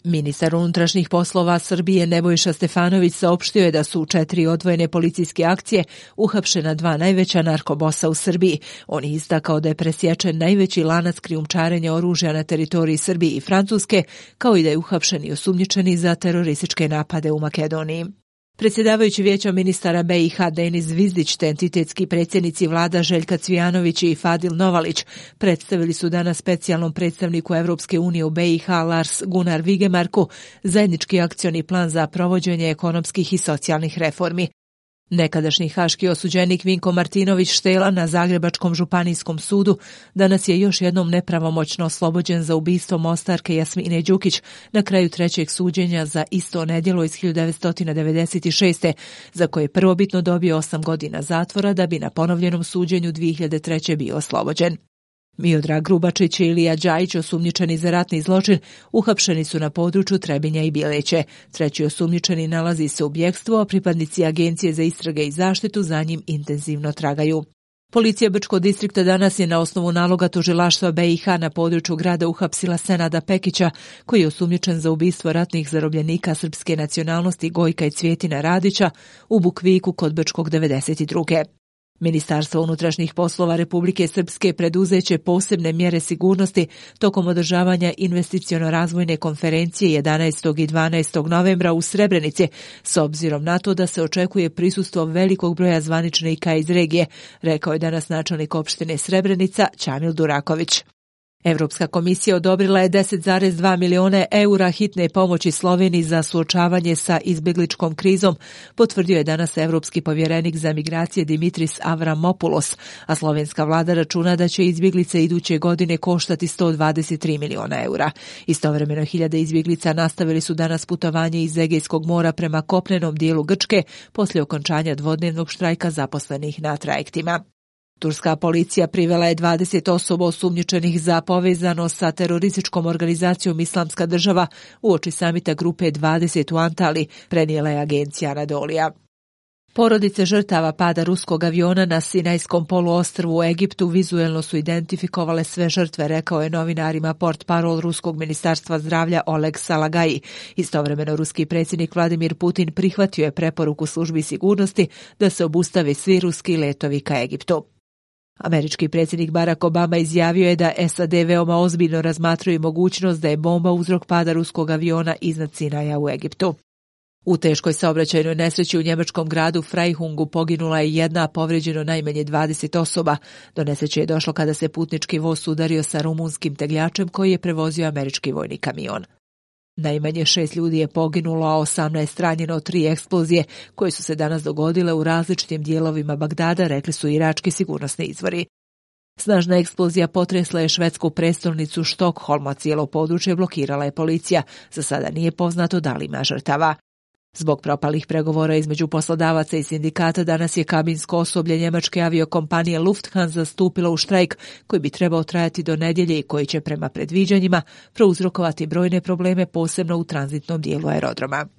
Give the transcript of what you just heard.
Ministar unutrašnjih poslova Srbije Nebojša Stefanović saopštio je da su u 4 odvojene policijske akcije uhapšena 2 najveća narkobosa u Srbiji. On je istakao da je presječen najveći lanac krijumčarenja oružja na teritoriji Srbije i Francuske, kao i da je uhapšen i osumnjičeni za terorističke napade u Makedoniji. Predsjedavajući Vijeća ministara BiH Denis Zvizdić te entitetski predsjednici vlada Željka Cvijanović i Fadil Novalić predstavili su danas specijalnom predstavniku Evropske unije u BiH Lars Gunnar Vigemarku zajednički akcioni plan za provođenje ekonomskih i socijalnih reformi. Nekadašnji haški osuđenik Vinko Martinović Štela na Zagrebačkom županijskom sudu danas je još jednom nepravomoćno oslobođen za ubistvo mostarke Jasmine Đukić na kraju 3. suđenja za isto nedjelo iz 1996. za koje je prvobitno dobio 8 godina zatvora da bi na ponovljenom suđenju 2003. bio oslobođen. Miodrag Grubačić i Ilija Đajić, osumnjičeni za ratni zločin, uhapšeni su na području Trebinja i Bjeleće. 3. osumnjičeni nalazi se u bjekstvu, a pripadnici Agencije za istrage i zaštitu za njim intenzivno tragaju. Policija Brčkog distrikta danas je na osnovu naloga tužilaštva BiH na području grada uhapsila Senada Pekića, koji je osumnjičen za ubistvo ratnih zarobljenika srpske nacionalnosti Gojka i Cvjetina Radića u Bukviku kod Brčkog 92. Ministarstvo unutrašnjih poslova Republike Srpske preduzeće posebne mjere sigurnosti tokom održavanja investiciono-razvojne konferencije 11. i 12. novembra u Srebrenici, s obzirom na to da se očekuje prisustvo velikog broja zvaničnika iz regije, rekao je danas načelnik opštine Srebrenica Čamil Duraković. Evropska komisija odobrila je 10,2 miliona eura hitne pomoći Sloveniji za suočavanje sa izbjegličkom krizom, potvrdio je danas evropski povjerenik za migracije Dimitris Avramopoulos, a slovenska vlada računa da će izbjeglice iduće godine koštati 123 miliona eura. Istovremeno, hiljade izbjeglica nastavili su danas putovanje iz Egejskog mora prema kopnenom dijelu Grčke poslije okončanja dvodnevnog štrajka zaposlenih na trajektima. Turska policija privela je 20 osoba osumnjičenih za povezano sa terorističkom organizacijom Islamska država uoči samita grupe 20 u Antali, prenijela je agencija Anadolija. Porodice žrtava pada ruskog aviona na Sinajskom poluostrvu u Egiptu vizuelno su identifikovale sve žrtve, rekao je novinarima portparol ruskog ministarstva zdravlja Oleg Salagaji. Istovremeno, ruski predsjednik Vladimir Putin prihvatio je preporuku službi sigurnosti da se obustave svi ruski letovi ka Egiptu. Američki predsjednik Barack Obama izjavio je da SAD veoma ozbiljno razmatraju mogućnost da je bomba uzrok pada ruskog aviona iznad Sinaja u Egiptu. U teškoj saobraćajnoj nesreći u njemačkom gradu Freihungu poginula je 1, a povrijeđeno najmanje 20 osoba. Do nesreće je došlo kada se putnički voz udario sa rumunskim tegljačem koji je prevozio američki vojni kamion. Najmanje 6 ljudi je poginulo, a 18 ranjeno od 3 eksplozije koje su se danas dogodile u različitim dijelovima Bagdada, rekli su irački sigurnosni izvori. Snažna eksplozija potresla je švedsku prestolnicu Štokholm, a cijelo područje blokirala je policija. Za sada nije poznato da li ima žrtava. Zbog propalih pregovora između poslodavaca i sindikata danas je kabinsko osoblje njemačke aviokompanije Lufthansa stupilo u štrajk koji bi trebao trajati do nedjelje i koji će prema predviđanjima prouzrokovati brojne probleme posebno u tranzitnom dijelu aerodroma.